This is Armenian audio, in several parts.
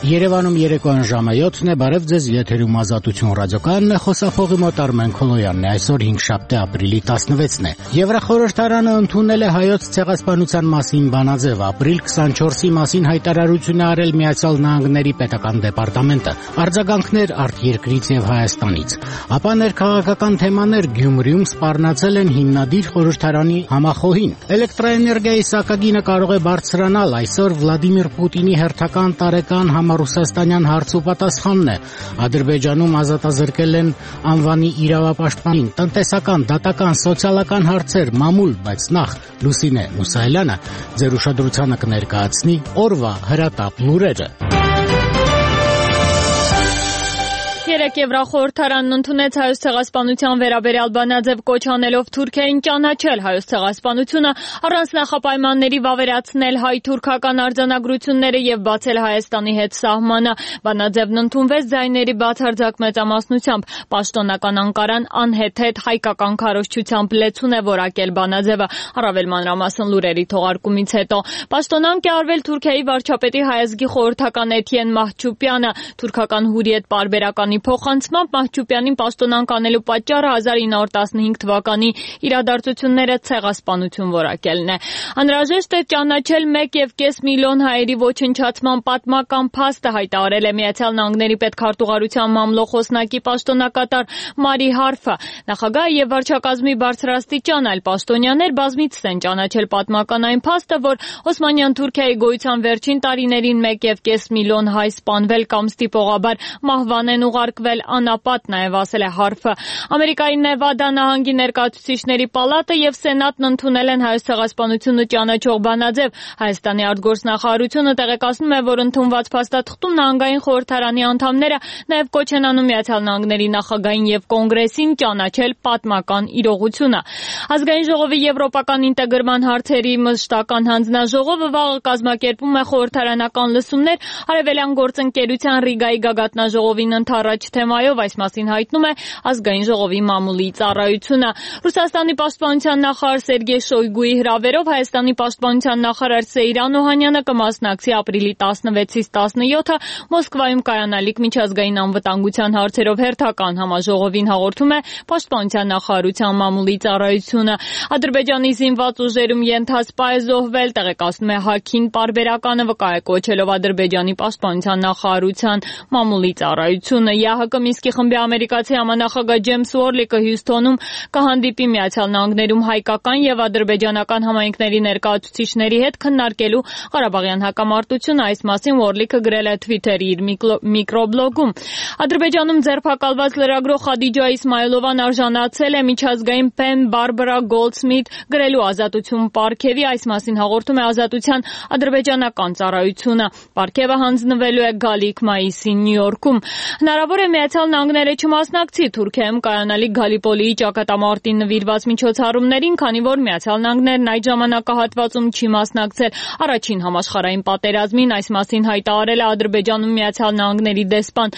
Երևանում երեկոյան ժամը 7-ն է, բարև ձեզ, եթերում Ազատություն ռադիոկայանն է, խոսափողի մոտ Արմեն Քոլոյանն է, այսօր 5-շաբթի ապրիլի 16-ն է։ Եվրախորհրդարանը ընդունել է հայոց ցեղասպանության մասին բանաձև, ապրիլ 24-ի մասին հայտարարություն է արել Միացյալ Նահանգների պետական դեպարտամենտը, արձագանքներ արտերկրից եւ Հայաստանից։ Ապա ներքաղաքական թեմաներ Գյումրիում սպառնացել են հիմնադիր խորհրդարանի համախոհին։ Էլեկտրաէներգիայի սակագինը կարող է բարձրանալ, այսօր Վլադիմիր Պուտինի հերթական տարեկան Ռուսաստանյան հարց ու պատասխանն է։ Ադրբեջանում ազատազրկել են անվանի իրավապաշտպանին, տնտեսական, դատական, սոցիալական հարցեր, մամուլ, բայց նախ Լուսինե Մուսայելյանը ձեր ուշադրությանը կներկայացնի օրվա հրատապ լուրերը։ Երեկ Եվրախորհրդարանն ընդունեց հայոց ցեղասպանության վերաբերյալ բանաձև, կոչ անելով Թուրքիային ճանաչել հայոց ցեղասպանությունը, առանց նախապայմանների վավերացնել հայ-թուրքական արձանագրությունները եւ բացել Հայաստանի հետ սահմանը։ Բանաձևն ընդունվեց ձայների բացարձակ մեծամասնությամբ։ Պաշտոնական Անկարան անհեթեթ հայկական քարոզչությամբ լեցուն է որակել բանաձևը, առավել մանրամասն լուրերի թողարկումից հետո։ Պաշտոնանկ է արվել Թուրքիայի վարչապետի հայազգի խորհրդական Էթիեն Մահչուպյանը, թուրքական Հուրիետ պարբերականի փոխանցմամբ Մահչուպյանին պաշտոնանկ անելու պատճառը 1915 թվականի իրադարձությունները ցեղասպանություն որակելն է։ Անհրաժեշտ է ճանաչել 1.5 միլիոն հայերի ոչնչացման պատմական փաստը, հայտարարել է Միացյալ Նահանգների պետքարտուղարության մամլոխոսնակի պաշտոնակատար Մարի Հարֆը։ Նախագահը եւ վարչակազմի բարձրաստիճան այլ պաշտոնյաներ բազմիցս են ճանաչել պատմական այն փաստը, որ Օսմանյան Թուրքիայի գոյության վերջին տարիներին 1.5 միլիոն հայ սպանվել կամ ստիպողաբար մահվան են ուղարկվել անապատ, նաև ասել է Հարֆը։ Ամերիկայի Նևադա նահանգի ներկայացուցիչների պալատը եւ Սենատն ընդունել են հայոց ցեղասպանությունը ճանաչող բանաձև։ Հայաստանի արտգործնախարարությունը տեղեկացնում է, որ ընդունված փաստաթղթում նահանգային խորհրդարանի անդամները նաև կոչ են անում Միացյալ Նահանգների նախագահին եւ կոնգրեսին ճանաչել պատմական իրողությունը։ Ազգային ժողովի եվրոպական ինտեգրման հարցերի մշտական հանձնաժողովը վաղը կազմակերպում է խորհրդարանական լսումներ Արևելյան գործընկերության Ռիգայի գագաթնաժողովին առաջ թեմայով, այս մասին հայտնում է Ազգային ժողովի մամուլի ծառայությունը։ Ռուսաստանի պաշտպանության նախարար Սերգեյ Շոյգուի հրավերով Հայաստանի պաշտպանության նախարար Սեյրան Օհանյանը կմասնակցի ապրիլի 16-ից 17-ը Մոսկվայում կայանալիք միջազգային անվտանգության հարցերով հերթական համաժողովին, հաղորդում է պաշտպանության նախարարության մամուլի ծառայությունը։ Ադրբեջանի զինված ուժերում ենթասպա է զոհվել, տեղեկացնում է Հաքին պարբերականը, վկա է կոչելով Ադրբեջանի պաշտպանության նախարարության մամուլի ծառայությունը։ ԵԱՀԿ Մինսկի խմբի ամերիկացի համանախագահ Ջեյմս Ուորլիկը Հյուսթոնում կհանդիպի Միացյալ Նահանգներում հայկական եւ ադրբեջանական համայնքների ներկայացուցիչների հետ քննարկելու Ղարաբաղյան հակամարտությունը։ Այս մասին Ուորլիկը գրել է Twitter-ի իր միկրոբլոգում։ Ադրբեջանում ձերբակալված լրագրող Խադիջա Իսմայելովան արժանացել է միջազգային Պեն Բարբարա Գոլդսմիթ գրելու Ազատություն պարգևի, այս մասին հաղորդում է Ազատության ադրբեջանական ծառայությունը։ Պարգևը հանձնվելու է գալիք մայիսին Նյու Յորքում։ Հնարավոր է Միացյալ Նահանգները չմասնակցի Թուրքիայում կայանալիք Գալիպոլիի ճակատամարտին նվիրված միջոցառումներին, քանի որ Միացյալ Նահանգներն այդ ժամանակահատվածում չի մասնակցել առաջին համաշխարհային պատերազմին, այս մասին հայտարարել է Ադրբեջանում Միացյալ Նահանգների դեսպան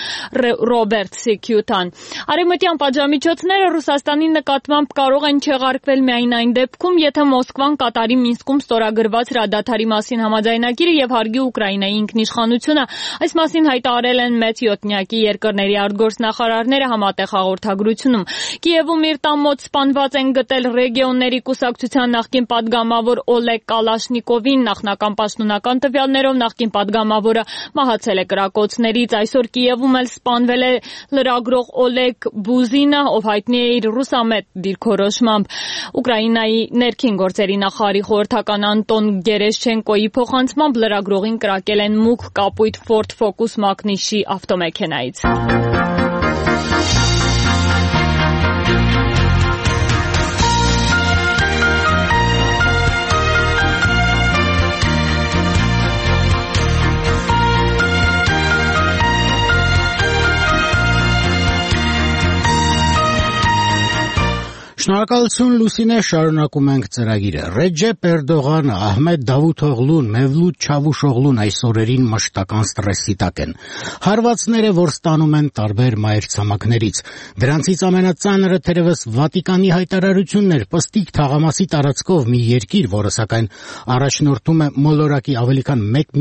Ռոբերտ Սիքյուտան։ Արևմտյան պատժամիջոցները Ռուսաստանի նկատմամբ կարող են չեղարկվել միայն այն դեպքում, եթե Մոսկվան կատարի Մինսկում ստորագրված հրադադարի մասին համաձայնագիրը եւ հարգի Ուկրաինայի ինքնիշխանությունը, այս մասին հայտարարել են մեծ յոթնյակի երկրների արտգործնախարարները համատեղ հաղորդագրությունում։ Կիևում իր տան մոտ սպանված են գտել ռեգիոնների կուսակցության նախկին падգամավոր Օլեգ Կալաշնիկովին, նախնական պաշտոնական տվյալներով նախկին падգամավորը մահացել է կրակոցներից։ Այսօր Կիևում էլ սպանվել է լրագրող Օլեգ Բուզինը, ով հայտնի է իր ռուսամետ դիրքորոշմամբ։ Ուկրաինայի ներքին գործերի նախարարի խորհրդական Անտոն Գերեշչենկոյի փոխանցմամբ լրագրողին կրակել են մուգ կապույտ Ford Focus մակնիշի ավտոմեքենայից։ Շնորհակալություն Լուսինե, շարունակում ենք ծրագիրը։ Ռեջեփ Էրդողանը, Ահմեդ Դավութօղլուն, Մևլութ Չավուշօղլուն այս օրերին մշտական ստրեսի տակ են։ Հարվածները, որ ստանում են տարբեր մայրցամաքներից։ Դրանցից ամենածանրը թերևս Վատիկանի հայտարարությունն էր պստիկ թաղամասի տարածքով մի երկիր, որը սակայն առաջնորդում է մոլորակի ավելի քան 1